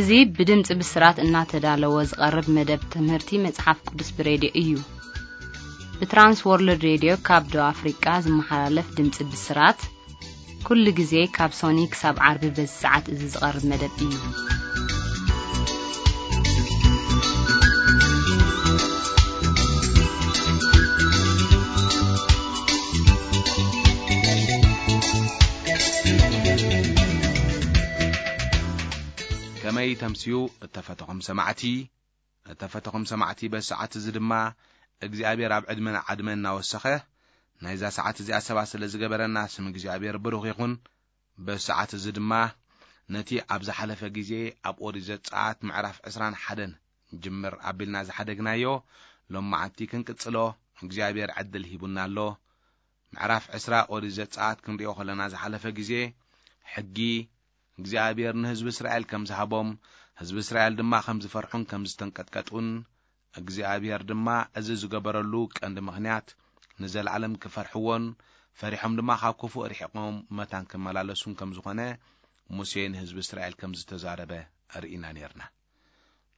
እዚ ብድምፂ ብስራት እናተዳለወ ዝቐርብ መደብ ትምህርቲ መጽሓፍ ቅዱስ ብሬድዮ እዩ። ብትራንስ ወርልድ ሬድዮ ካብ ደቡብ ኣፍሪቃ ዝመሓላለፍ ድምፂ ብስራት፣ ኩሉ ግዜ ካብ ሶኒ ክሳብ ዓርቢ በዚ ሰዓት እዚ ዝቐርብ መደብ እዩ። ከመይ ተምስዩ እተፈተኹም ሰማዕቲ? እተፈተኹም ሰማዕቲ፣ በዚ ሰዓት እዚ ድማ እግዚኣብሔር ኣብ ዕድመን ዓድመን እናወሰኸ ናይዛ ሰዓት እዚኣ ሰባት ስለ ዝገበረና ስም እግዚኣብሔር ብሩኽ ይኹን። በዚ ሰዓት እዚ ድማ ነቲ ኣብ ዝሓለፈ ግዜ ኣብ ኦሪት ዘጸኣት ምዕራፍ ዕስራን ሓደን ጅምር ኣቢልና ዝሓደግናዮ ሎማዓንቲ ክንቅጽሎ እግዚኣብሔር ዕድል ሂቡና ኣሎ። ምዕራፍ ዕስራ ኦሪት ዘጸኣት ክንሪኦ ከለና ዝሓለፈ ግዜ ሕጊ እግዚኣብሔር ንህዝቢ እስራኤል ከም ዝሃቦም፣ ህዝቢ እስራኤል ድማ ከም ዝፈርሑን ከም ዝተንቀጥቀጡን፣ እግዚኣብሔር ድማ እዚ ዝገበረሉ ቀንዲ ምኽንያት ንዘለዓለም ክፈርሕዎን ፈሪሖም ድማ ካብ ክፉእ ርሒቖም መታን ክመላለሱን ከም ዝኾነ ሙሴ ንህዝቢ እስራኤል ከም ዝተዛረበ ርኢና ነርና።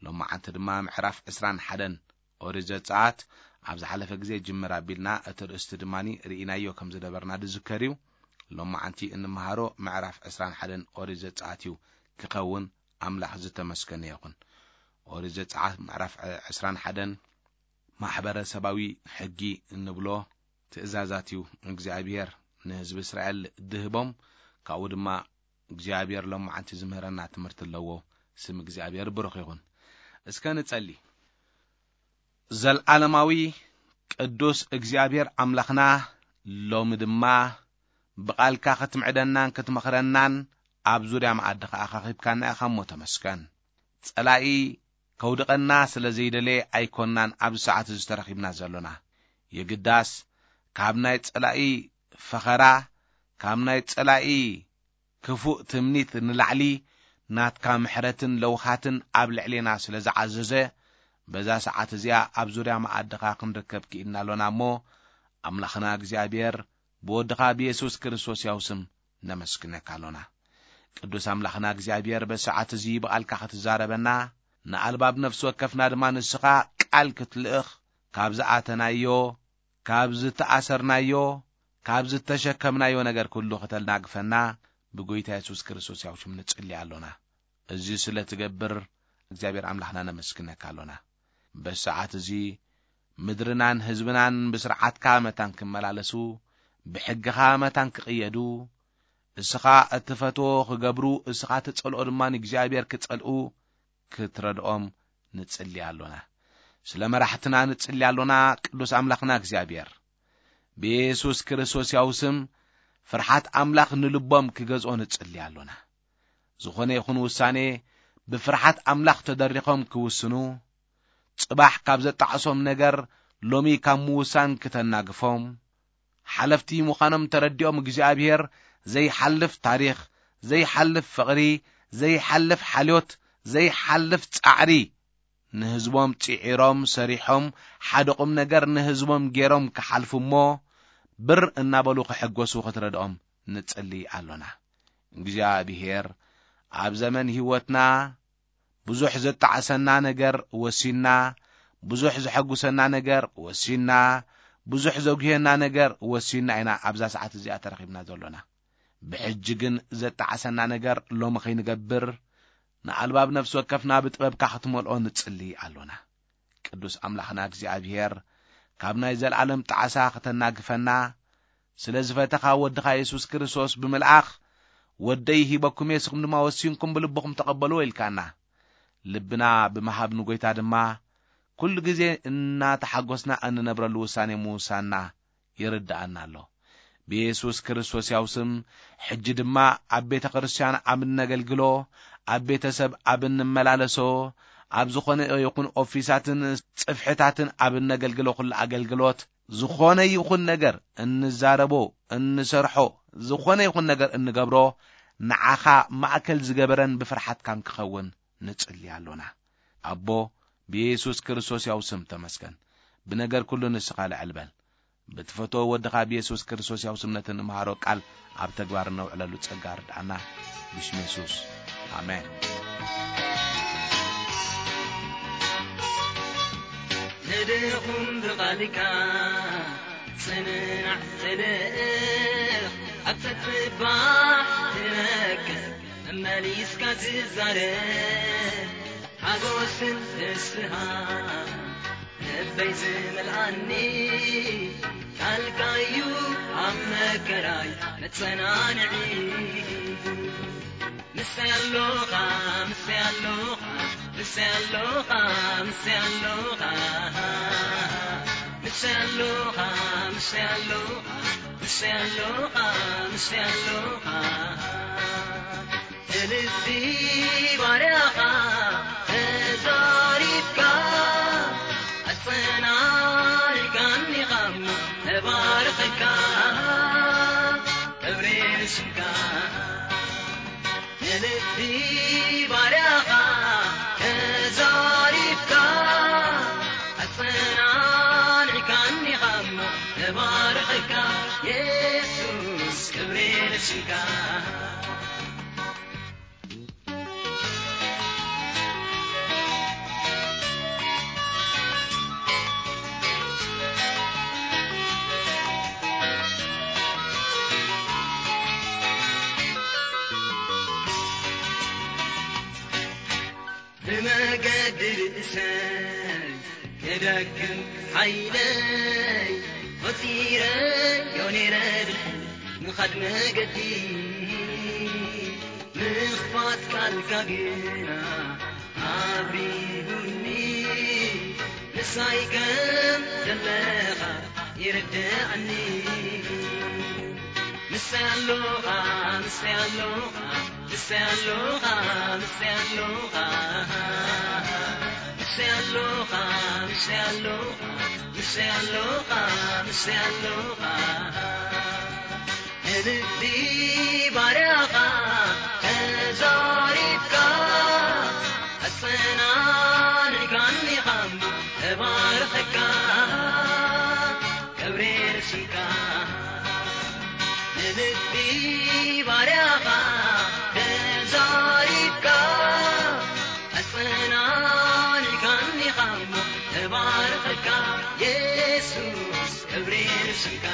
ሎማዓንቲ ድማ ምዕራፍ ዕስራን ሓደን ኦሪት ዘጸኣት ኣብ ዝሓለፈ ግዜ ጅምር ኣቢልና እቲ ርእስቲ ድማ ርኢናዮ ከም ዝነበርና ዝዝከር እዩ። ሎማዓንቲ እንመሃሮ ምዕራፍ ዕስራን ሓደን ኦሪት ዘጸኣት እዩ ክኸውን ኣምላኽ ዝተመስገነ ይኹን። ኦሪት ዘጸኣት ምዕራፍ ዕስራን ሓደን ማሕበረሰባዊ ሕጊ እንብሎ ትእዛዛት እዩ እግዚኣብሔር ንህዝቢ እስራኤል ድህቦም። ካብኡ ድማ እግዚኣብሔር ሎማዓንቲ ዝምህረና ትምህርቲ ኣለዎ። ስም እግዚኣብሔር ብሩኽ ይኹን። እስከ ንጸሊ። ዘልዓለማዊ ቅዱስ እግዚኣብሔር ኣምላኽና፣ ሎሚ ድማ ብቓልካ ክትምዕደናን ክትመኽረናን ኣብ ዙርያ መኣዲ ኸዓ ኣኻኺብካና ኢኻ እሞ ተመስገን። ጸላኢ ከውድቐና ስለ ዘይደለየ ኣይኮንናን ኣብዚ ሰዓት እዚ ተረኺብና ዘሎና። የግዳስ ካብ ናይ ጸላኢ ፈኸራ፣ ካብ ናይ ጸላኢ ክፉእ ትምኒት ንላዕሊ ናትካ ምሕረትን ለውሃትን ኣብ ልዕሌና ስለ ዝዓዘዘ፣ በዛ ሰዓት እዚኣ ኣብ ዙርያ መኣድኻ ክንርከብ ክኢልና ኣሎና እሞ፣ ኣምላኽና እግዚኣብሔር ብወድኻ ብየሱስ ክርስቶስ ያው ስም ነመስግነካ ኣሎና። ቅዱስ ኣምላኽና እግዚኣብሔር በዚ ሰዓት እዚ ብቓልካ ክትዛረበና፣ ንኣልባብ ነፍሲ ወከፍና ድማ ንስኻ ቃል ክትልእኽ፣ ካብ ዝኣተናዮ፣ ካብ ዝተኣሰርናዮ፣ ካብ ዝተሸከምናዮ ነገር ኩሉ ከተናግፈና ብጎይታ የሱስ ክርስቶስ ያው ሽም ንጽሊ ኣሎና። እዚ ስለ ትገብር እግዚኣብሔር ኣምላኽና ነመስግነካ ኣሎና። በዚ ሰዓት እዚ ምድርናን ህዝብናን ብስርዓትካ መታን ክመላለሱ፣ ብሕግኻ መታን ክቕየዱ፣ እስኻ እትፈትዎ ክገብሩ፣ እስኻ ትጸልኦ ድማ ንእግዚኣብሔር ክጸልኡ ክትረድኦም ንጽሊ ኣሎና። ስለ መራሕትና ንጽሊ ኣሎና። ቅዱስ ኣምላኽና እግዚኣብሔር፣ ብየሱስ ክርስቶስ ያው ስም ፍርሓት ኣምላኽ ንልቦም ክገዝኦ ንጽሊ ኣሎና። ዝኾነ ይኹን ውሳኔ ብፍርሓት ኣምላኽ ተደሪኾም ክውስኑ፣ ጽባሕ ካብ ዘጣዕሶም ነገር ሎሚ ካብ ምውሳን ክተናግፎም፣ ሓለፍቲ ምዃኖም ተረዲኦም እግዚኣብሔር ዘይሓልፍ ታሪኽ፣ ዘይሓልፍ ፍቕሪ፣ ዘይሓልፍ ሓልዮት፣ ዘይሓልፍ ጻዕሪ ንህዝቦም ጽዒሮም ሰሪሖም ሓደ ቁም ነገር ንህዝቦም ገይሮም ክሓልፉ እሞ ብር እናበሉ ክሕጎሱ ክትረድኦም ንጽሊ ኣሎና። እግዚኣብሔር ኣብ ዘመን ህይወትና ብዙሕ ዘጣዕሰና ነገር ወሲና፣ ብዙሕ ዘሐጉሰና ነገር ወሲና፣ ብዙሕ ዘጉህየና ነገር ወሲና ኢና ኣብዛ ሰዓት እዚኣ ተረኺብና ዘሎና። ብሕጂ ግን ዘጣዕሰና ነገር ሎሚ ከይንገብር፣ ንኣልባብ ነፍሲ ወከፍና ብጥበብካ ክትመልኦ ንጽሊ ኣሎና። ቅዱስ ኣምላኽና እግዚኣብሔር፣ ካብ ናይ ዘለዓለም ጣዕሳ ከተናግፈና፣ ስለ ዝፈተኻ ወድኻ የሱስ ክርስቶስ ብምልኣኽ፣ "ወደይ ሂበኩም እየ፣ ንስኹም ድማ ወሲንኩም ብልብኹም ተቐበልዎ" ኢልካና። ልብና ብምሃብ ንጎይታ ድማ፣ ኩሉ ግዜ እናተሓጎስና እንነብረሉ ውሳኔ ምውሳንና ይርድኣና ኣሎ። ብየሱስ ክርስቶስ ያው ስም፣ ሕጂ ድማ ኣብ ቤተ ክርስቲያን ኣብ እነገልግሎ፣ ኣብ ቤተሰብ ኣብ እንመላለሶ፣ ኣብ ዝኾነ ይኹን ኦፊሳትን ጽፍሕታትን ኣብ እነገልግሎ ኩሉ ኣገልግሎት፣ ዝኾነ ይኹን ነገር እንዛረቦ፣ እንሰርሖ፣ ዝኾነ ይኹን ነገር እንገብሮ፣ ንዓኻ ማእከል ዝገበረን ብፍርሓትካን ክኸውን ንጽሊ ኣሎና። ኣቦ፣ ብየሱስ ክርስቶስ ያው ስም ተመስገን። ብነገር ኩሉ ንስኻ ልዕል በል። ብትፈትዎ ወድኻ ብየሱስ ክርስቶስ ያው ስም ነቲ ንምሃሮ ቃል ኣብ ተግባር እነውዕለሉ ጸጋ ርድኣና። ብሽም የሱስ። ኣሜን። ድኹም ብቓልካ ጽናዕ ተልእኽ፣ ኣብ ተትባዕ ትነቅፍ፣ መመሊስካ ትዛረብ። ሓጎስን ፍስሃ ልበይ ዝመልኣኒ፣ ቃልካዩ ኣብ መከራይ መጸናንዒ። ምስያሎኻ፣ ምስያሎኻ፣ ምስያሎኻ፣ ምስያሎኻ፣ ምስያሎኻ፣ ምስያሎኻ፣ ምስያሎኻ፣ ምስያሎኻ፣ ልቢ ባርያኻ ተዛሪብካ፣ ኣጸናኒዕካኒ ኻሞ ተባርኸካ፣ ክብሪ ንስምካ። ንልቢ ባርያኻ ተዛሪብካ፣ ኣጸናኒዕካኒ ኻሞ ተባርኸካ፣ የሱስ ክብሪ ንስምካ። ብመገዲ ርእሰይ ክደክም ሓይለይ፣ ቆጺረዮ ነይረ ድሕሪ ምኻድ መገዲ። ምኽፋት ቃልካ ግና ኣብሪሁኒ፣ ምሳይ ከም ዘለኻ ይርድኣኒ። ምሳይ ኣሎኻ፣ ምሳይ ኣሎኻ፣ ምሳይ ኣሎኻ፣ ምሳይ ኣሎኻ፣ ምሳይ ኣሎኻ፣ ምሳይ ኣሎኻ፣ ምሳይ ኣሎኻ፣ ምሳይ ኣሎኻ። ንልቢ ባርያኻ ተዛሪብካ፣ ኣጸናኒዕካኒ ኻሞ ተባርኸካ፣ ክብሪ ንስምካ። ንልቢ ባርያኻ ተዛሪብካ፣ ኣጸናኒዕካኒ ኻሞ ተባርኸካ፣ የሱስ ክብሪ ንስምካ።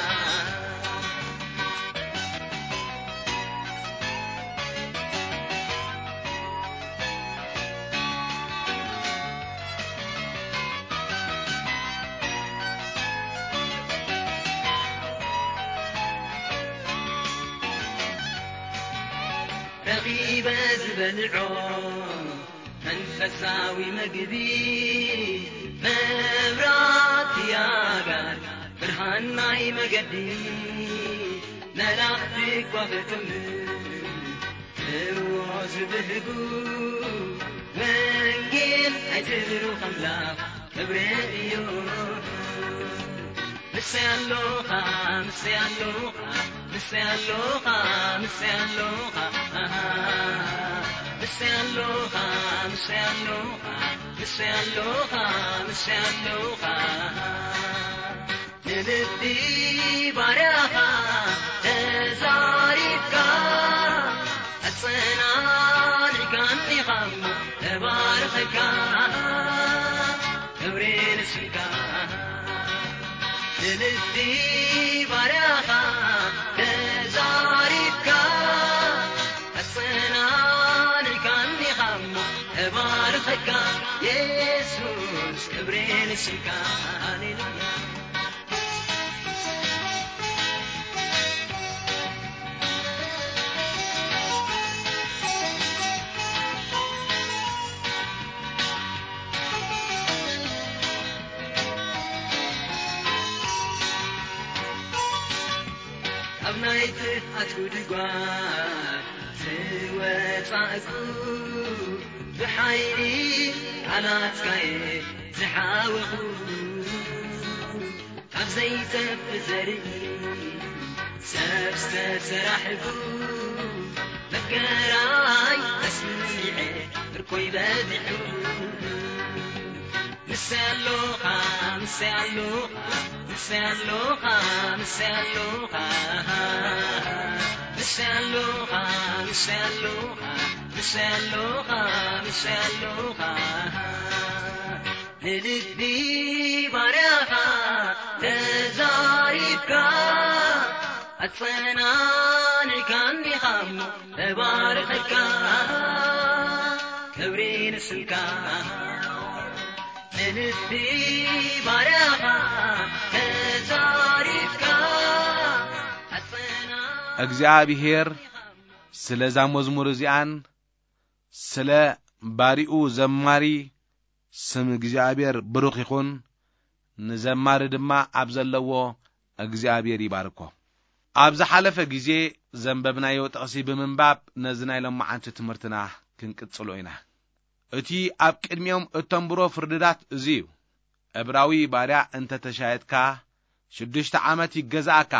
ረኺበ ዝበልዖ መንፈሳዊ መግቢ፣ መብራህቲ ኣጋር፣ ብርሃን ናይ መገዲ፣ መላእኽቲ እኳ ክጥምት እዎ ዝብህጉ፣ ወንጌል ኣይትብሩ ኣምላኽ ክብሪ እዩ። ምስያሎኻ፣ ምስያሎኻ፣ ምስያሎኻ፣ ምስያሎኻ፣ ኣሃ። ምስያሎኻ፣ ምስያሎኻ፣ ምስያሎኻ፣ ምስያሎኻ፣ ኣሃ። ንልቢ ባርያኻ ተዛሪብካ፣ ኣጸናኒዕካኒ ኻሞ ተባርኸካ፣ ክብሪ ንስምካ። ንልቢ ባርያኻ ተዛሪብካ፣ ኣጸናኒዕካኒ ኻሞ ተባርኸካ፣ የሱስ ክብሪ ንስምካ። ሃሌሉያ። ኣብ ናይ ጥፍኣት ጉድጓድ ዝወጻእኩ፣ ብሓይሊ ቃላትካ'የ ዝሓወኹ። ካብ ዘይጠፍ ዘርኢ ሰብ ዝተሰራሕኩ፣ መከራይ ኣስሚዐ ምርኮይ በዚሑ። ምስያሎኻ፣ ምስያሎኻ፣ ምስያሎኻ፣ ምስያሎኻ፣ ምስያሎኻ፣ ምስያሎኻ፣ ምስያሎኻ፣ ምስያሎኻ፣ ንልቢ ባርያኻ ተዛሪብካ፣ ኣጸናኒዕካኒ ኻሞ ተባርኸካ፣ ክብሪ ንስምካ። ንልቢ ባርያኻ ተዛሪብካ፣ ኣጸናኒ እግዚኣብሔር ስለዛ መዝሙር እዚኣን ስለ ባሪኡ ዘማሪ ስም እግዚኣብሔር ብሩኽ ይኹን፣ ንዘማሪ ድማ ኣብ ዘለዎ እግዚኣብሔር ይባርኮ። ኣብ ዝሓለፈ ግዜ ዘንበብናዮ ጥቕሲ ብምንባብ ነዚ ናይ ሎማዓንቲ ትምህርትና ክንቅጽሎ ኢና። እቲ ኣብ ቅድሚኦም እተንብሮ ፍርድታት እዚ እዩ። ዕብራዊ ባርያ እንተ ተሻየጥካ፣ ሽዱሽተ ዓመት ይገዛእካ፣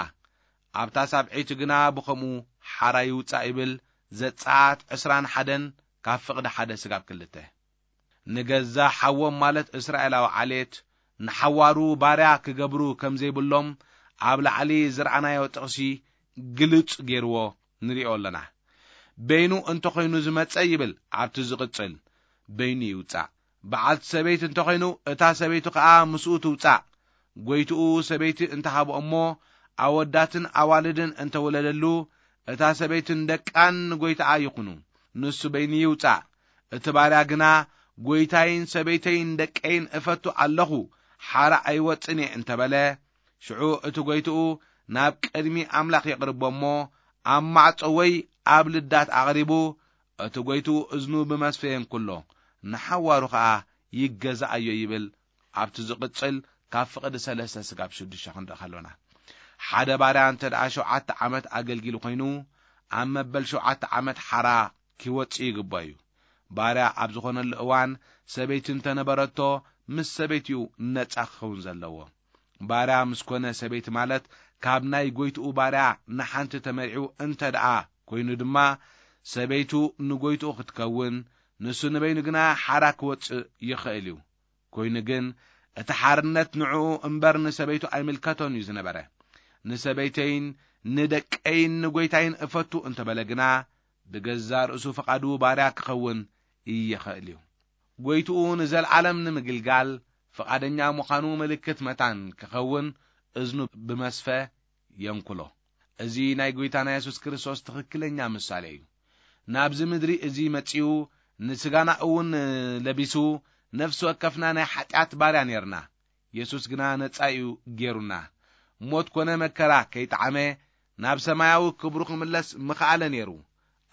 ኣብታ ሳብዐይቲ ግና ብኸምኡ ሓራ ይውጻእ ይብል ዘጸኣት ዕስራን ሓደን ካብ ፍቕዲ ሓደ ስጋብ ክልተ። ንገዛ ሓዎም ማለት እስራኤላዊ ዓሌት ንሓዋሩ ባርያ ክገብሩ ከም ዘይብሎም ኣብ ላዕሊ ዝረኣናዮ ጥቕሲ ግልጽ ገይርዎ ንሪኦ ኣለና። በይኑ እንተኾይኑ ዝመጸ ይብል ኣብቲ ዝቕጽል፣ በይኑ ይውጻእ። በዓልቲ ሰበይቲ እንተኾይኑ እታ ሰበይቱ ኸኣ ምስኡ ትውጻእ። ጎይትኡ ሰበይቲ እንተሃቦ እሞ ኣወዳትን ኣዋልድን እንተወለደሉ እታ ሰበይትን ደቃን ንጎይትኣ ይኹኑ። ንሱ በይኑ ይውጻእ። እቲ ባርያ ግና ጎይታይን ሰበይተይን ደቀይን እፈቱ ኣለኹ፣ ሓራ ኣይወጽን እየ እንተበለ፣ ሽዑ እቲ ጎይትኡ ናብ ቅድሚ ኣምላኽ የቕርቦ እሞ ኣብ ማዕጾ ወይ ኣብ ልዳት ኣቕሪቡ እቲ ጎይትኡ እዝኑ ብመስፈ የንኩሎ፣ ንሓዋሩ ኸኣ ይገዛኣዮ ይብል። ኣብቲ ዝቕጽል ካብ ፍቕዲ ሰለስተ ስጋብ ሽዱሽተ ክንርኢ ከሎና፣ ሓደ ባርያ እንተ ደኣ ሸውዓተ ዓመት ኣገልጊሉ ኮይኑ፣ ኣብ መበል ሸውዓተ ዓመት ሓራ ኪወጽእ ይግባእ እዩ። ባርያ ኣብ ዝኾነሉ እዋን ሰበይቲ እንተ ነበረቶ፣ ምስ ሰበይቲኡ ነጻ ክኸውን ዘለዎ። ባርያ ምስ ኮነ ሰበይቲ ማለት ካብ ናይ ጎይትኡ ባርያ ንሓንቲ ተመሪዑ እንተ ደኣ ኮይኑ ድማ፣ ሰበይቱ ንጎይትኡ ክትከውን፣ ንሱ ንበይኑ ግና ሓራ ክወጽእ ይኽእል እዩ። ኮይኑ ግን እቲ ሓርነት ንዕኡ እምበር ንሰበይቱ ኣይምልከቶን እዩ ዝነበረ። ንሰበይተይን ንደቀይን ንጎይታይን እፈቱ እንተበለ ግና፣ ብገዛ ርእሱ ፍቓዱ ባርያ ክኸውን ይኽእል እዩ። ጎይትኡ ንዘለዓለም ንምግልጋል ፍቓደኛ ምዃኑ ምልክት መታን ክኸውን እዝኑ ብመስፈ የንኩሎ። እዚ ናይ ጎይታና የሱስ ክርስቶስ ትኽክለኛ ምሳሌ እዩ። ናብዚ ምድሪ እዚ መጺኡ ንስጋና እውን ለቢሱ፣ ነፍሲ ወከፍና ናይ ሓጢኣት ባርያ ኔርና። የሱስ ግና ነጻ እዩ ጌሩና። ሞት ኮነ መከራ ከይጠዓመ ናብ ሰማያዊ ክብሩ ክምለስ ምኽኣለ ኔሩ።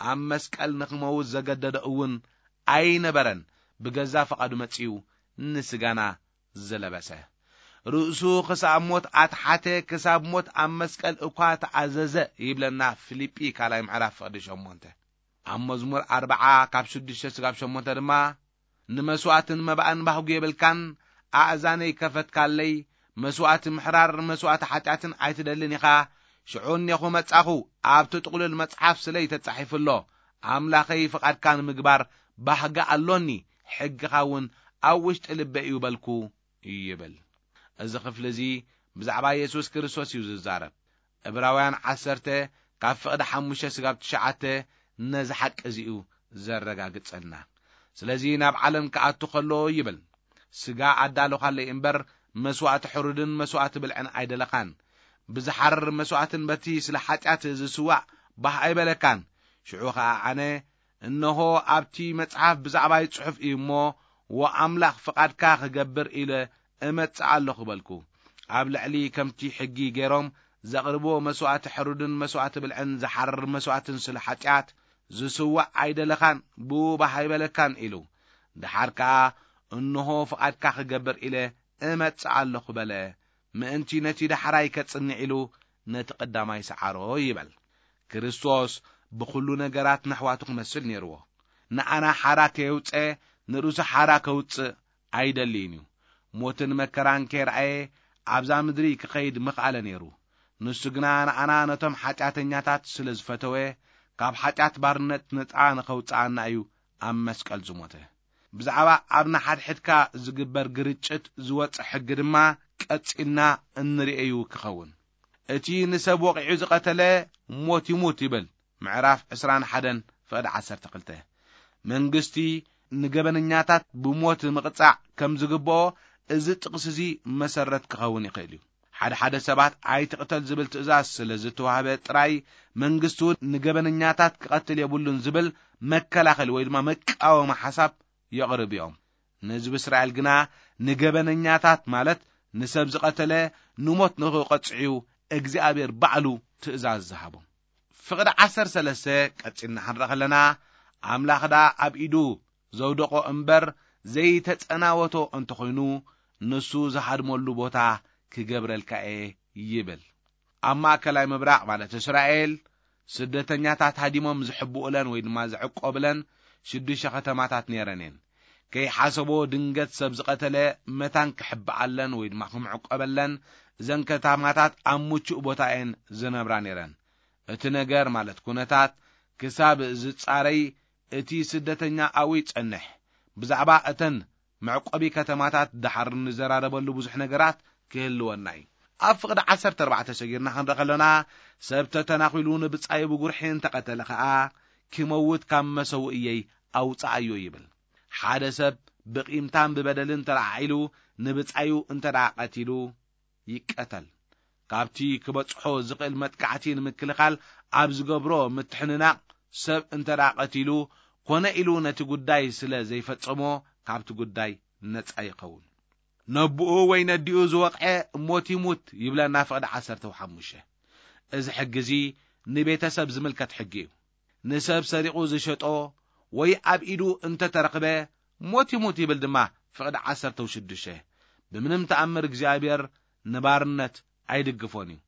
ኣብ መስቀል ንኽመውት ዘገደዶ እውን ኣይነበረን። ብገዛ ፍቓዱ መጺኡ ንስጋና ዝለበሰ። ርእሱ ክሳብ ሞት ኣትሓተ፣ ክሳብ ሞት ኣብ መስቀል እኳ ተኣዘዘ ይብለና ፊልጲ ካልኣይ ምዕራፍ ፍቕዲ ሸሞንተ። ኣብ መዝሙር ኣርብዓ ካብ ሽዱሽተ ስጋብ ሸሞንተ ድማ፣ ንመስዋእትን መባእን ባህጉ የብልካን፣ ኣእዛነይ ከፈትካለይ፣ መስዋእቲ ምሕራር መስዋእቲ ሓጢኣትን ኣይትደልን ኢኻ። ሽዑ እኔኹ መጻኹ፣ ኣብቲ ጥቕሉል መጽሓፍ ስለይ ተጻሒፉ ኣሎ፣ ኣምላኸይ ፍቓድካ ንምግባር ባህጊ ኣሎኒ፣ ሕግኻ እውን ኣብ ውሽጢ ልበይ እዩ በልኩ ይብል። እዚ ክፍሊ እዚ ብዛዕባ የሱስ ክርስቶስ እዩ ዝዛረብ። ዕብራውያን ዓሰርተ ካብ ፍቕዲ ሓሙሽተ ስጋብ ትሽዓተ ነዚ ሓቂ እዚ እዩ ዘረጋግጸልና። ስለዚ ናብ ዓለም ክኣቱ ከሎ ይብል፣ ስጋ ኣዳለኻለይ እምበር መስዋእቲ ሕሩድን መስዋእቲ ብልዕን ኣይደለኻን። ብዝሓርር መስዋእትን በቲ ስለ ሓጢኣት ዝስዋእ ባህ ኣይበለካን። ሽዑ ኸኣ ኣነ፣ እንሆ ኣብቲ መጽሓፍ ብዛዕባይ ጽሑፍ እዩ እሞ፣ ወኣምላኽ ፍቓድካ ክገብር ኢለ እመጽእ ኣለኹ በልኩ። ኣብ ልዕሊ ከምቲ ሕጊ ገይሮም ዘቕርብዎ መስዋእቲ ሕሩድን መስዋእቲ ብልዕን ዝሓርር መስዋእትን ስለ ሓጢኣት ዝስዋእ ኣይደለኻን፣ ብኡ ባህ ኣይበለካን ኢሉ። ደሓር ከኣ እንሆ ፍቓድካ ክገብር ኢለ እመጽእ ኣለኹ በለ። ምእንቲ ነቲ ዳሕራይ ከጽንዕ ኢሉ ነቲ ቀዳማይ ሰዓሮ ይበል። ክርስቶስ ብኹሉ ነገራት ንኣሕዋቱ ክመስል ነይርዎ። ንኣና ሓራ ከየውጸ ንርእሱ ሓራ ከውጽእ ኣይደልይን እዩ። ሞትን መከራን ከይረኣየ ኣብዛ ምድሪ ክኸይድ ምኽኣለ ነይሩ። ንሱ ግና ንኣና ነቶም ሓጢኣተኛታት ስለ ዝፈተወ፣ ካብ ሓጢኣት ባርነት ነጻ ንኸውጽኣና እዩ ኣብ መስቀል ዝሞተ። ብዛዕባ ኣብ ንሓድሕድካ ዝግበር ግርጭት ዝወጽእ ሕጊ ድማ ቀጺልና እንርእዩ ክኸውን። እቲ ንሰብ ወቒዑ ዝቐተለ ሞት ይሙት ይብል ምዕራፍ ዕስራን ሓደን ፍቕዲ ዓሰርተ ክልተ። መንግስቲ ንገበነኛታት ብሞት ምቕጻዕ ከም ዝግብኦ እዚ ጥቕሲ እዚ መሰረት ክኸውን ይኽእል እዩ። ሓደ ሓደ ሰባት ኣይትቕተል ዝብል ትእዛዝ ስለ ዝተዋህበ ጥራይ መንግስቲ እውን ንገበነኛታት ክቐትል የብሉን ዝብል መከላኸሊ ወይ ድማ መቃወሚ ሓሳብ የቕርብ እዮም። ንህዝቢ እስራኤል ግና ንገበነኛታት ማለት ንሰብ ዝቐተለ ንሞት ንኽቐጽዕዩ እግዚኣብሔር ባዕሉ ትእዛዝ ዝሃቦም። ፍቕዲ ዓሰርተ ሰለስተ ቀጺልና ክንርኢ ከለና ኣምላኽ ደኣ ኣብ ኢዱ ዘውደቖ እምበር ዘይተጸናወቶ እንተኾይኑ ንሱ ዝሃድመሉ ቦታ ክገብረልካ እየ ይብል። ኣብ ማእከላይ ምብራቕ ማለት እስራኤል ስደተኛታት ሃዲሞም ዝሕብኡለን ወይ ድማ ዝዕቆብለን ሽዱሽተ ከተማታት ነይረን እየን። ከይሓሰቦ ድንገት ሰብ ዝቐተለ መታን ክሕብኣለን ወይ ድማ ክምዕቆበለን እዘን ከተማታት ኣብ ምቹእ ቦታ እየን ዝነብራ ነይረን። እቲ ነገር ማለት ኩነታት ክሳብ ዝጻረይ እቲ ስደተኛ ኣብኡ ይጸንሕ። ብዛዕባ እተን መዕቆቢ ከተማታት ደሓር ንዘራረበሉ ብዙሕ ነገራት ክህልወና እዩ። ኣብ ፍቕዲ ዓሰርተ ኣርባዕተ ሰጊርና ክንርኢ ከለና ሰብ ተተናኺሉ ንብጻዩ ብጉርሒ እንተቐተለ ኸኣ ክመውት ካብ መሰውእየይ ኣውጽኣዮ ይብል። ሓደ ሰብ ብቒምታን ብበደልን ተለዓዒሉ ንብጻዩ እንተ ደኣ ቀቲሉ ይቀተል። ካብቲ ክበጽሖ ዝኽእል መጥቃዕቲ ንምክልኻል ኣብ ዝገብሮ ምትሕንናቕ ሰብ እንተ ደኣ ቀቲሉ ኮነ ኢሉ ነቲ ጉዳይ ስለ ዘይፈጸሞ ካብቲ ጉዳይ ነጻ ይኸውን። ነብኡ ወይ ነዲኡ ዝወቕዐ ሞት ይሙት ይብለና ፍቕዲ ዓሰርተ ሓሙሽተ። እዚ ሕጊ እዚ ንቤተሰብ ዝምልከት ሕጊ እዩ። ንሰብ ሰሪቑ ዝሸጦ ወይ ኣብ ኢዱ እንተተረኽበ ሞት ይሙት ይብል ድማ ፍቕዲ ዓሰርተ ሽዱሽተ። ብምንም ተኣምር እግዚኣብሔር ንባርነት ኣይድግፎን እዩ።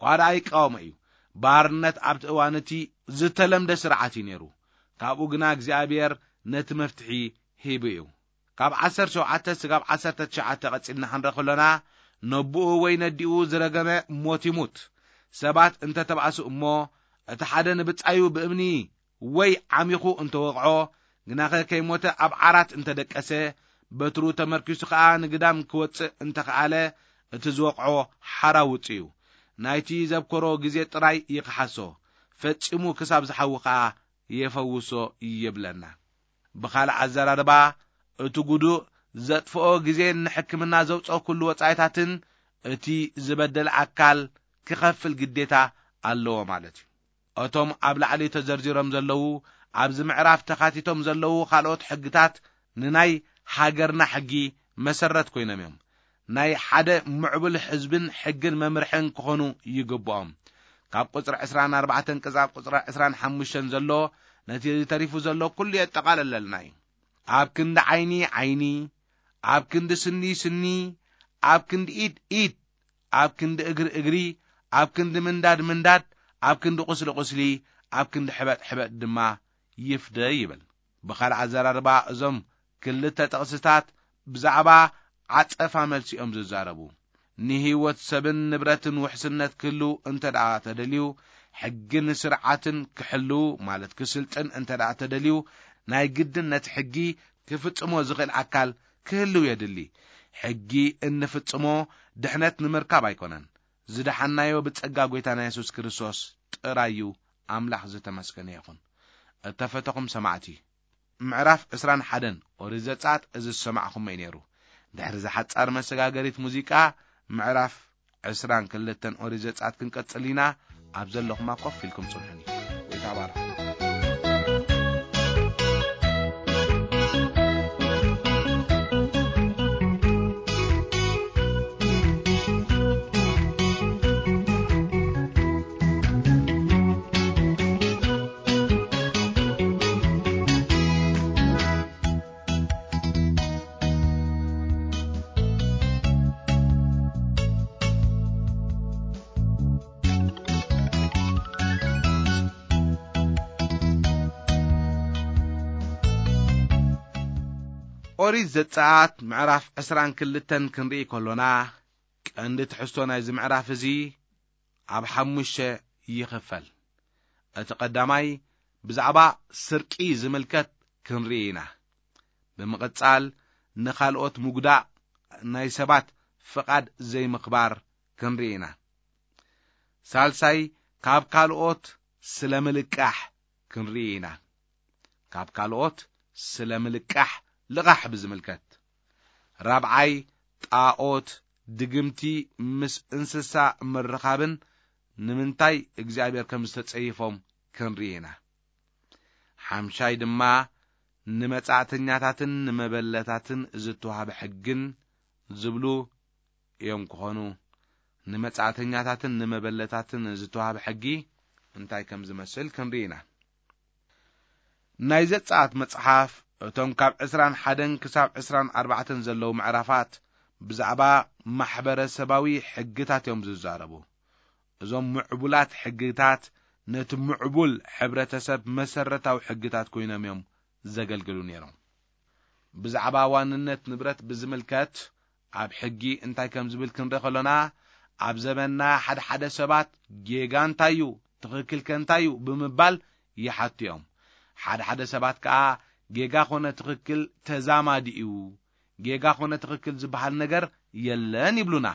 እኳ ደኣ ይቃወሞ እዩ። ባርነት ኣብቲ እዋን እቲ ዝተለምደ ስርዓት እዩ ነይሩ። ካብኡ ግና እግዚኣብሔር ነቲ መፍትሒ ሂቡ እዩ። ካብ ዓሰርተ ሸውዓተ ስጋብ ዓሰርተ ትሽዓተ ቀጺልና ክንርኢ ከሎና፣ ነቦኡ ወይ ነዲኡ ዝረገመ ሞት ይሙት። ሰባት እንተ ተባእሱ እሞ፣ እቲ ሓደ ንብጻዩ ብእምኒ ወይ ዓሚኹ እንተ ወቕዖ፣ ግናኸ ከይሞተ ኣብ ዓራት እንተ ደቀሰ፣ በትሩ ተመርኪሱ ኸኣ ንግዳም ክወጽእ እንተ ኸኣለ፣ እቲ ዝወቕዖ ሓራ ውጹ እዩ። ናይቲ ዘብከሮ ግዜ ጥራይ ይኽሓሶ፣ ፈጺሙ ክሳብ ዝሓዊ ኸኣ የፈውሶ ይብለና። ብኻልእ ኣዘራርባ፣ እቲ ጉዱእ ዘጥፍኦ ግዜን ንሕክምና ዘውጽኦ ኩሉ ወጻኢታትን እቲ ዝበደለ ኣካል ክኸፍል ግዴታ ኣለዎ ማለት እዩ። እቶም ኣብ ላዕሊ ተዘርዚሮም ዘለዉ፣ ኣብዚ ምዕራፍ ተኻቲቶም ዘለዉ ካልኦት ሕግታት ንናይ ሃገርና ሕጊ መሰረት ኮይኖም እዮም። ናይ ሓደ ምዕቡል ሕዝብን ሕግን መምርሕን ክኾኑ ይግብኦም። ካብ ቁጽሪ ዕስራን ኣርባዕተን ክሳብ ቁጽሪ ዕስራን ሓሙሽተን ዘሎ፣ ነቲ ተሪፉ ዘሎ ኩሉ የጠቓልለልና እዩ። ኣብ ክንዲ ዓይኒ ዓይኒ፣ ኣብ ክንዲ ስኒ ስኒ፣ ኣብ ክንዲ ኢድ ኢድ፣ ኣብ ክንዲ እግሪ እግሪ፣ ኣብ ክንዲ ምንዳድ ምንዳድ፣ ኣብ ክንዲ ቁስሊ ቁስሊ፣ ኣብ ክንዲ ሕበጥ ሕበጥ ድማ ይፍደ ይብል። ብኻልእ ኣዘራርባ፣ እዞም ክልተ ጥቕስታት ብዛዕባ ዓጸፋ መልሲ እዮም ዝዛረቡ። ንህይወት ሰብን ንብረትን ውሕስነት ክህሉ እንተ ደኣ ተደልዩ፣ ሕግን ስርዓትን ክሕሉ፣ ማለት ክስልጥን እንተ ደኣ ተደልዩ፣ ናይ ግድን ነቲ ሕጊ ክፍጽሞ ዝኽእል ኣካል ክህልው የድሊ። ሕጊ እንፍጽሞ ድሕነት ንምርካብ ኣይኮነን። ዝደሓናዮ ብጸጋ ጐይታና የሱስ ክርስቶስ ጥራይ እዩ። ኣምላኽ ዝተመስገነ ይኹን። እተፈተኹም ሰማዕቲ፣ ምዕራፍ ዕስራን ሓደን ኦሪት ዘጸኣት እዚ ዝሰማዕኹሞ እዩ ነይሩ። ድሕሪ እዛ ሓጻር መሰጋገሪት ሙዚቃ፣ ምዕራፍ ዕስራን ክልተን ኦሪት ዘጸኣት ክንቀጽል ኢና። ኣብ ዘለኹማ ኮፍ ኢልኩም ጽንሑኒ። ጐይታ ባርኹ። ኦሪት ዘጸኣት ምዕራፍ ዕስራን ክልተን ክንርኢ ከሎና፣ ቀንዲ ትሕዝቶ ናይዚ ምዕራፍ እዚ ኣብ ሓሙሽተ ይኽፈል። እቲ ቀዳማይ ብዛዕባ ስርቂ ዝምልከት ክንርኢ ኢና። ብምቕጻል ንኻልኦት ምጉዳእ፣ ናይ ሰባት ፍቓድ ዘይምኽባር ክንርኢ ኢና። ሳልሳይ ካብ ካልኦት ስለ ምልቃሕ ክንርኢ ኢና። ካብ ካልኦት ስለ ምልቃሕ ልቓሕ ብዝምልከት። ራብዓይ፣ ጣኦት፣ ድግምቲ፣ ምስ እንስሳ ምርኻብን ንምንታይ እግዚኣብሔር ከም ዝተጸይፎም ክንርኢ ኢና። ሓምሻይ ድማ ንመጻእተኛታትን ንመበለታትን ዝተዋህበ ሕግን ዝብሉ እዮም ክኾኑ። ንመጻእተኛታትን ንመበለታትን ዝተዋህበ ሕጊ እንታይ ከም ዝመስል ክንርኢ ኢና። ናይ ዘጸኣት መጽሓፍ እቶም ካብ ዕስራን ሓደን ክሳብ ዕስራን ኣርባዕተን ዘለዉ ምዕራፋት ብዛዕባ ማሕበረሰባዊ ሕግታት እዮም ዝዛረቡ። እዞም ምዕቡላት ሕግታት ነቲ ምዕቡል ሕብረተሰብ መሰረታዊ ሕግታት ኮይኖም እዮም ዘገልግሉ ነይሮም። ብዛዕባ ዋንነት ንብረት ብዝምልከት ኣብ ሕጊ እንታይ ከም ዝብል ክንርኢ ከሎና፣ ኣብ ዘመንና ሓደ ሓደ ሰባት ጌጋ እንታይ እዩ፣ ትኽክል ከ እንታይ እዩ ብምባል ይሓቱ እዮም። ሓደ ሓደ ሰባት ከኣ ጌጋ ኮነ ትኽክል ተዛማዲ እዩ፣ ጌጋ ኮነ ትኽክል ዝበሃል ነገር የለን ይብሉና።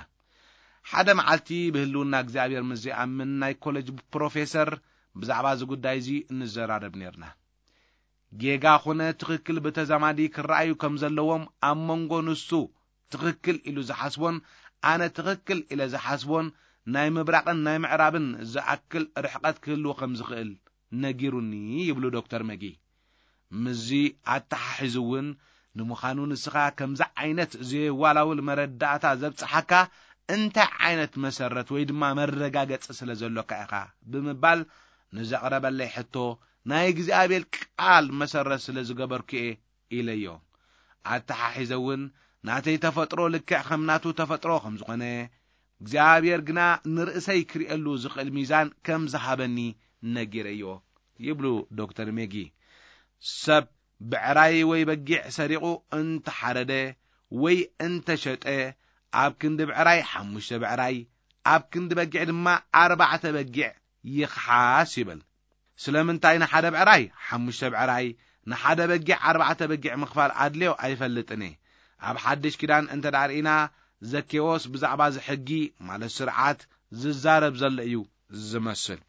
ሓደ መዓልቲ ብህልውና እግዚኣብሔር ምስ ዘይኣምን ናይ ኮሌጅ ፕሮፌሰር ብዛዕባ እዚ ጉዳይ እዚ እንዘራረብ ነርና። ጌጋ ኮነ ትኽክል ብተዛማዲ ክረኣዩ ከም ዘለዎም ኣብ መንጎ ንሱ ትኽክል ኢሉ ዝሓስቦን ኣነ ትኽክል ኢለ ዝሓስቦን ናይ ምብራቕን ናይ ምዕራብን ዝኣክል ርሕቐት ክህልዎ ከም ዝኽእል ነጊሩኒ ይብሉ ዶክተር መጊ። ምስዚ ኣተሓሒዙ እውን ንምዃኑ ንስኻ ከምዚ ዓይነት ዘየዋላውል መረዳእታ ዘብጽሓካ እንታይ ዓይነት መሰረት ወይ ድማ መረጋገጺ ስለ ዘሎካ ኢኻ ብምባል ንዘቕረበለይ ሕቶ ናይ እግዚኣብሔር ቃል መሰረት ስለ ዝገበርኩ እየ ኢለዮ። ኣተሓሒዘ እውን ናተይ ተፈጥሮ ልክዕ ከም ናቱ ተፈጥሮ ከም ዝኾነ እግዚኣብሔር ግና ንርእሰይ ክርእየሉ ዝኽእል ሚዛን ከም ዝሃበኒ ነጊረዮ ይብሉ ዶክተር ሜጊ። ሰብ ብዕራይ ወይ በጊዕ ሰሪቑ እንተሓረደ ወይ እንተሸጠ ኣብ ክንዲ ብዕራይ ሓሙሽተ ብዕራይ ኣብ ክንዲ በጊዕ ድማ ኣርባዕተ በጊዕ ይኽሓስ ይብል። ስለምንታይ ንሓደ ብዕራይ ሓሙሽተ ብዕራይ ንሓደ በጊዕ ኣርባዕተ በጊዕ ምኽፋል ኣድልዮ ኣይፈልጥን እየ። ኣብ ሓድሽ ኪዳን እንተ ደኣ ርኢና ዘኬዎስ ብዛዕባ እዚ ሕጊ ማለት ስርዓት ዝዛረብ ዘሎ እዩ ዝመስል።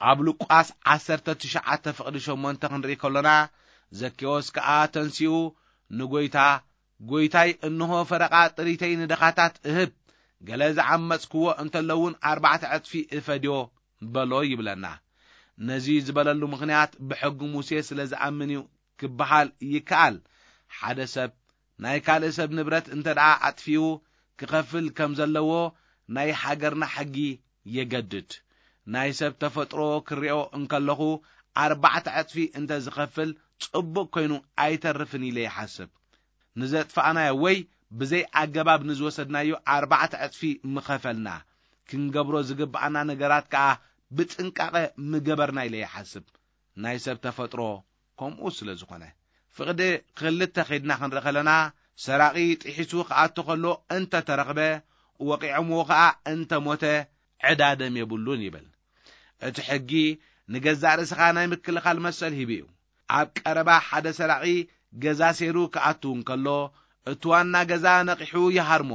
ኣብ ሉቃስ ዓሰርተ ትሽዓተ ፍቕዲ ሸሞንተ ክንርኢ ከሎና ዘኬዎስ ከኣ ተንሲኡ ንጎይታ፣ ጎይታይ እንሆ ፈረቓ ጥሪተይ ንደኻታት እህብ፣ ገለ ዝዓመጽክዎ እንተለውን ኣርባዕተ ዕጽፊ እፈድዮ በሎ ይብለና። ነዚ ዝበለሉ ምኽንያት ብሕጊ ሙሴ ስለ ዝኣምን እዩ ክበሃል ይከኣል። ሓደ ሰብ ናይ ካልእ ሰብ ንብረት እንተ ደኣ ኣጥፊኡ ክኸፍል ከም ዘለዎ ናይ ሃገርና ሕጊ የገድድ። ናይ ሰብ ተፈጥሮ ክሪኦ እንከለኹ ኣርባዕተ ዕጽፊ እንተ ዝኸፍል ጽቡቕ ኮይኑ ኣይተርፍን ኢለ ይሓስብ። ንዘጥፋእናዮ ወይ ብዘይ ኣገባብ ንዝወሰድናዮ ኣርባዕተ ዕጽፊ ምኸፈልና። ክንገብሮ ዝግብኣና ነገራት ከኣ ብጥንቃቐ ምገበርና ኢለ ይሓስብ። ናይ ሰብ ተፈጥሮ ከምኡ ስለ ዝኾነ። ፍቕዲ ክልተ ኸይድና ክንርኢ ከለና ሰራቒ ጥሒሱ ክኣቱ ከሎ እንተ ተረኽበ ወቒዖምዎ ኸኣ እንተ ሞተ ዕዳ ደም የብሉን ይብል። እቲ ሕጊ ንገዛእ ርእስኻ ናይ ምክልኻል መሰል ሂቡ እዩ። ኣብ ቀረባ ሓደ ሰራቒ ገዛ ሴሩ ክኣቱ እንከሎ እቲ ዋና ገዛ ነቒሑ ይሃርሞ።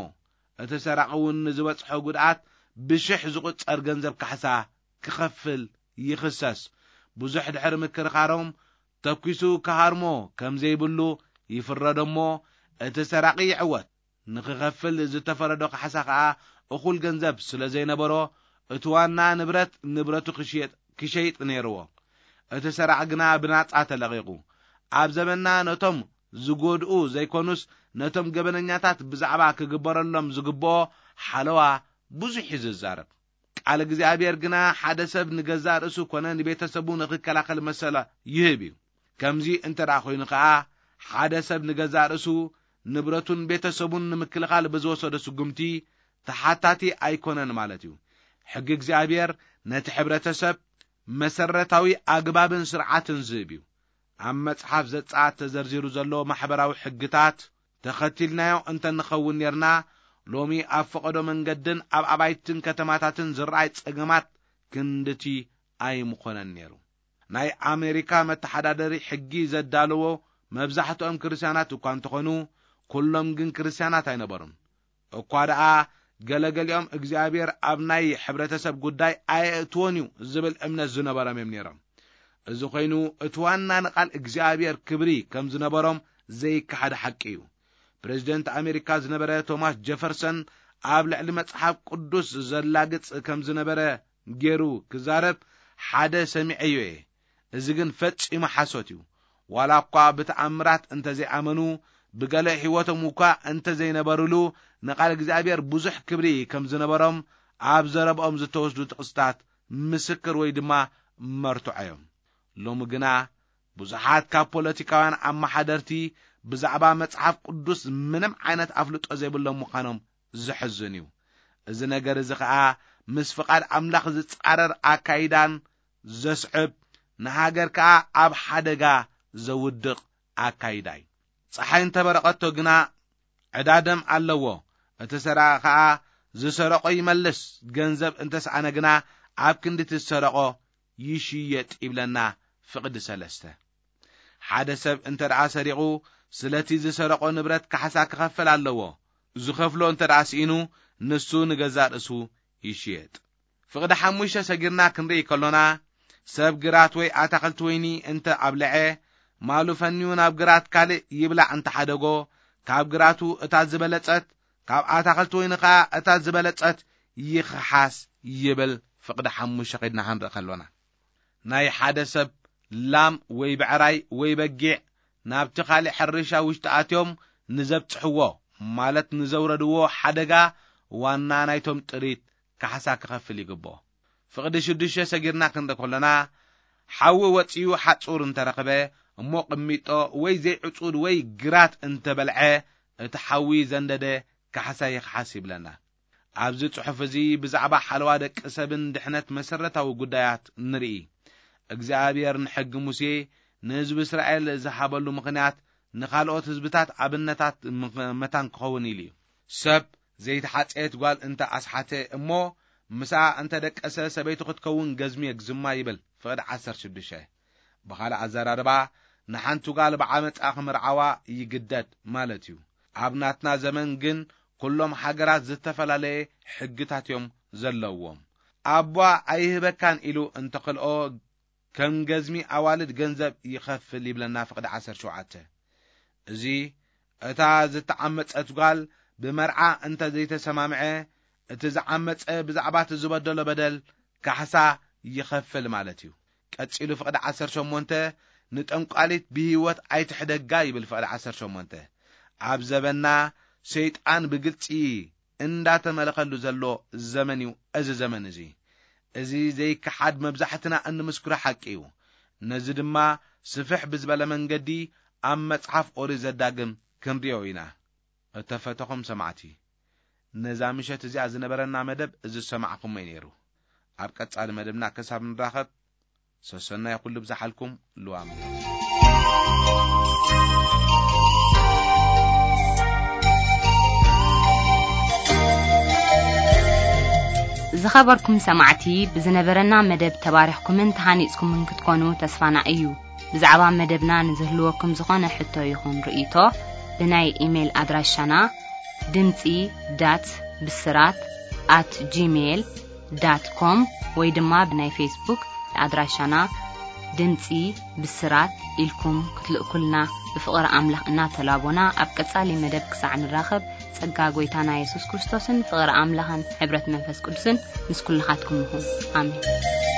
እቲ ሰራቒ እውን ንዝበጽሖ ጉድኣት ብሽሕ ዝቑጸር ገንዘብ ካሕሳ ክኸፍል ይኽሰስ። ብዙሕ ድሕሪ ምክርኻሮም ተኲሱ ክሃርሞ ከም ዘይብሉ ይፍረዶ እሞ እቲ ሰራቒ ይዕወት። ንኽኸፍል ዝተፈረዶ ካሕሳ ኸኣ እኹል ገንዘብ ስለ ዘይነበሮ እቲ ዋና ንብረት ንብረቱ ክሽየጥ ክሸይጥ ነይርዎ። እቲ ሰራቒ ግና ብናጻ ተለቒቑ። ኣብ ዘመንና ነቶም ዝጎድኡ ዘይኮኑስ ነቶም ገበነኛታት ብዛዕባ ክግበረሎም ዝግብኦ ሓለዋ ብዙሕ እዩ ዝዛረብ። ቃል እግዚኣብሔር ግና ሓደ ሰብ ንገዛእ ርእሱ ኮነ ንቤተሰቡ ንኽከላኸል መሰላ ይህብ እዩ። ከምዚ እንተ ደኣ ኮይኑ ኸኣ ሓደ ሰብ ንገዛእ ርእሱ ንብረቱን ቤተሰቡን ንምክልኻል ብዝወሰዶ ስጉምቲ ተሓታቲ ኣይኮነን ማለት እዩ። ሕጊ እግዚኣብሔር ነቲ ሕብረተሰብ መሰረታዊ ኣግባብን ስርዓትን ዝህብ እዩ። ኣብ መጽሓፍ ዘጸኣት ተዘርዚሩ ዘሎ ማሕበራዊ ሕግታት ተኸቲልናዮ እንተ ንኸውን ኔርና ሎሚ ኣብ ፈቐዶ መንገድን ኣብ ኣባይትን ከተማታትን ዝረኣይ ጸገማት ክንድቲ ኣይምኾነን ኔሩ። ናይ ኣሜሪካ መተሓዳደሪ ሕጊ ዘዳለዎ መብዛሕትኦም ክርስትያናት እኳ እንተኾኑ ኩሎም ግን ክርስትያናት ኣይነበሩን። እኳ ደኣ ገለገሊኦም እግዚኣብሔር ኣብ ናይ ሕብረተሰብ ጉዳይ ኣየእትዎን እዩ ዝብል እምነት ዝነበሮም እዮም ነይሮም። እዚ ኮይኑ፣ እቲ ዋና ንቓል እግዚኣብሔር ክብሪ ከም ዝነበሮም ዘይከሓድ ሓቂ እዩ። ፕሬዚደንት ኣሜሪካ ዝነበረ ቶማስ ጀፈርሰን ኣብ ልዕሊ መጽሓፍ ቅዱስ ዘላግጽ ከም ዝነበረ ገይሩ ክዛረብ ሓደ ሰሚዐዮ እየ። እዚ ግን ፈጺሙ ሓሶት እዩ። ዋላ እኳ ብተኣምራት እንተዘይኣመኑ፣ ብገለ ሕይወቶም እኳ እንተዘይነበሩሉ፣ ንቓል እግዚኣብሔር ብዙሕ ክብሪ ከም ዝነበሮም ኣብ ዘረብኦም ዝተወስዱ ጥቕስታት ምስክር ወይ ድማ መርትዖ እዮም። ሎሚ ግና ብዙሓት ካብ ፖለቲካውያን ኣመሓደርቲ ብዛዕባ መጽሓፍ ቅዱስ ምንም ዓይነት ኣፍልጦ ዘይብሎም ምዃኖም ዘሕዝን እዩ። እዚ ነገር እዚ ኸኣ ምስ ፍቓድ ኣምላኽ ዝጻረር ኣካይዳን ዘስዕብ፣ ንሃገር ከኣ ኣብ ሓደጋ ዘውድቕ ኣካይዳ እዩ። ጸሓይ እንተበረቐቶ ግና ዕዳ ደም ኣለዎ። እቲ ሰራቒ ኸኣ ዝሰረቖ ይመልስ፣ ገንዘብ እንተሰኣነ ግና ኣብ ክንዲ እቲ ዝሰረቖ ይሽየጥ ይብለና ፍቕዲ ሰለስተ። ሓደ ሰብ እንተ ደኣ ሰሪቑ፣ ስለቲ ዝሰረቖ ንብረት ካሕሳ ክኸፍል ኣለዎ። ዝኸፍሎ እንተ ደኣ ስኢኑ፣ ንሱ ንገዛእ ርእሱ ይሽየጥ። ፍቕዲ ሓሙሽተ ሰጊርና ክንርኢ ከሎና፣ ሰብ ግራት ወይ ኣታኽልቲ ወይኒ እንተ ኣብልዐ፣ ማሉ ፈንዩ ናብ ግራት ካልእ ይብላዕ እንተ ሓደጎ፣ ካብ ግራቱ እታ ዝበለጸት፣ ካብ ኣታኽልቲ ወይኒ ኸኣ እታ ዝበለጸት ይኽሓስ ይብል። ፍቕዲ ሓሙሽተ ኸይድና ክንርኢ ከሎና፣ ናይ ሓደ ሰብ ላም ወይ ብዕራይ ወይ በጊዕ ናብቲ ካልእ ሕርሻ ውሽጢ ኣትዮም ንዘብጽሕዎ፣ ማለት ንዘውረድዎ ሓደጋ ዋና ናይቶም ጥሪት ካሕሳ ክኸፍል ይግብኦ። ፍቕዲ ሽዱሽተ ሰጊርና ክንርኢ ከሎና፣ ሓዊ ወጺኡ ሓጹር እንተረኽበ፣ እሞ ቅሚጦ ወይ ዘይዕጹድ ወይ ግራት እንተበልዐ፣ እቲ ሓዊ ዘንደደ ካሕሳ ይኽሓስ ይብለና። ኣብዚ ጽሑፍ እዚ ብዛዕባ ሓለዋ ደቂ ሰብን ድሕነት መሰረታዊ ጉዳያት ንርኢ። እግዚኣብሔር ንሕጊ ሙሴ ንህዝቢ እስራኤል ዝሃበሉ ምኽንያት ንኻልኦት ህዝብታት ኣብነታት ምኽ-፣ መታን ክኸውን ኢሉ እዩ። ሰብ ዘይተሓጽየት ጓል እንተ ኣስሓተ እሞ ምስኣ እንተ ደቀሰ ሰበይቱ ክትከውን ገዝሚ የግዝማ ይብል ፍቕዲ ዓሰርተ ሽዱሽተ። ብኻልእ ኣዘራርባ ንሓንቲ ጓል ብዓመጻ ክምርዓዋ ይግደድ ማለት እዩ። ኣብ ናትና ዘመን ግን ኩሎም ሃገራት ዝተፈላለየ ሕግታት እዮም ዘለዎም። ኣቧ ኣይህበካን ኢሉ እንተኽልኦ ከም ገዝሚ ኣዋልድ ገንዘብ ይኸፍል ይብለና ፍቕዲ ዓሰርተ ሸውዓተ። እዚ እታ ዝተዓመጸት ጓል ብመርዓ እንተ ዘይተሰማምዐ እቲ ዝዓመጸ ብዛዕባ እቲ ዝበደሎ በደል ካሕሳ ይኸፍል ማለት እዩ። ቀጺሉ ፍቕዲ ዓሰርተ ሸሞንተ ንጠንቋሊት ብህይወት ኣይትሕደጋ ይብል ፍቕዲ ዓሰርተ ሸሞንተ። ኣብ ዘበና ሰይጣን ብግልጺ እንዳተመለኸሉ ዘሎ ዘመን እዩ እዚ ዘመን እዚ። እዚ ዘይከሓድ መብዛሕትና እንምስክሮ ሓቂ እዩ። ነዚ ድማ ስፍሕ ብዝበለ መንገዲ ኣብ መጽሓፍ ኦሪት ዘዳግም ክንሪኦ ኢና። እተፈተኹም ሰማዕቲ፣ ነዛ ምሸት እዚኣ ዝነበረና መደብ እዚ ዝሰማዕኹሞ እዩ ነይሩ። ኣብ ቀጻሊ መደብና ክሳብ ንራኸብ፣ ሰሰናይ ኩሉ ብዝሓልኩም ልዋም። ዝኸበርኩም ሰማዕቲ፣ ብዝነበረና መደብ ተባሪኽኩምን ተሃኒጽኩምን ክትኮኑ ተስፋና እዩ። ብዛዕባ መደብና ንዝህልወኩም ዝኾነ ሕቶ ይኹን ርእይቶ፣ ብናይ ኢሜይል ኣድራሻና ድምጺ ዳት ብስራት ኣት ጂሜይል ዳት ኮም ወይ ድማ ብናይ ፌስቡክ ኣድራሻና ድምጺ ብስራት ኢልኩም ክትልእኩልና ብፍቕሪ ኣምላኽ እናተላቦና፣ ኣብ ቀጻሊ መደብ ክሳዕ ንራኸብ፣ ጸጋ ጐይታና የሱስ ክርስቶስን ፍቕሪ ኣምላኽን ሕብረት መንፈስ ቅዱስን ምስ ኩልኻትኩም ይኹን። ኣሜን።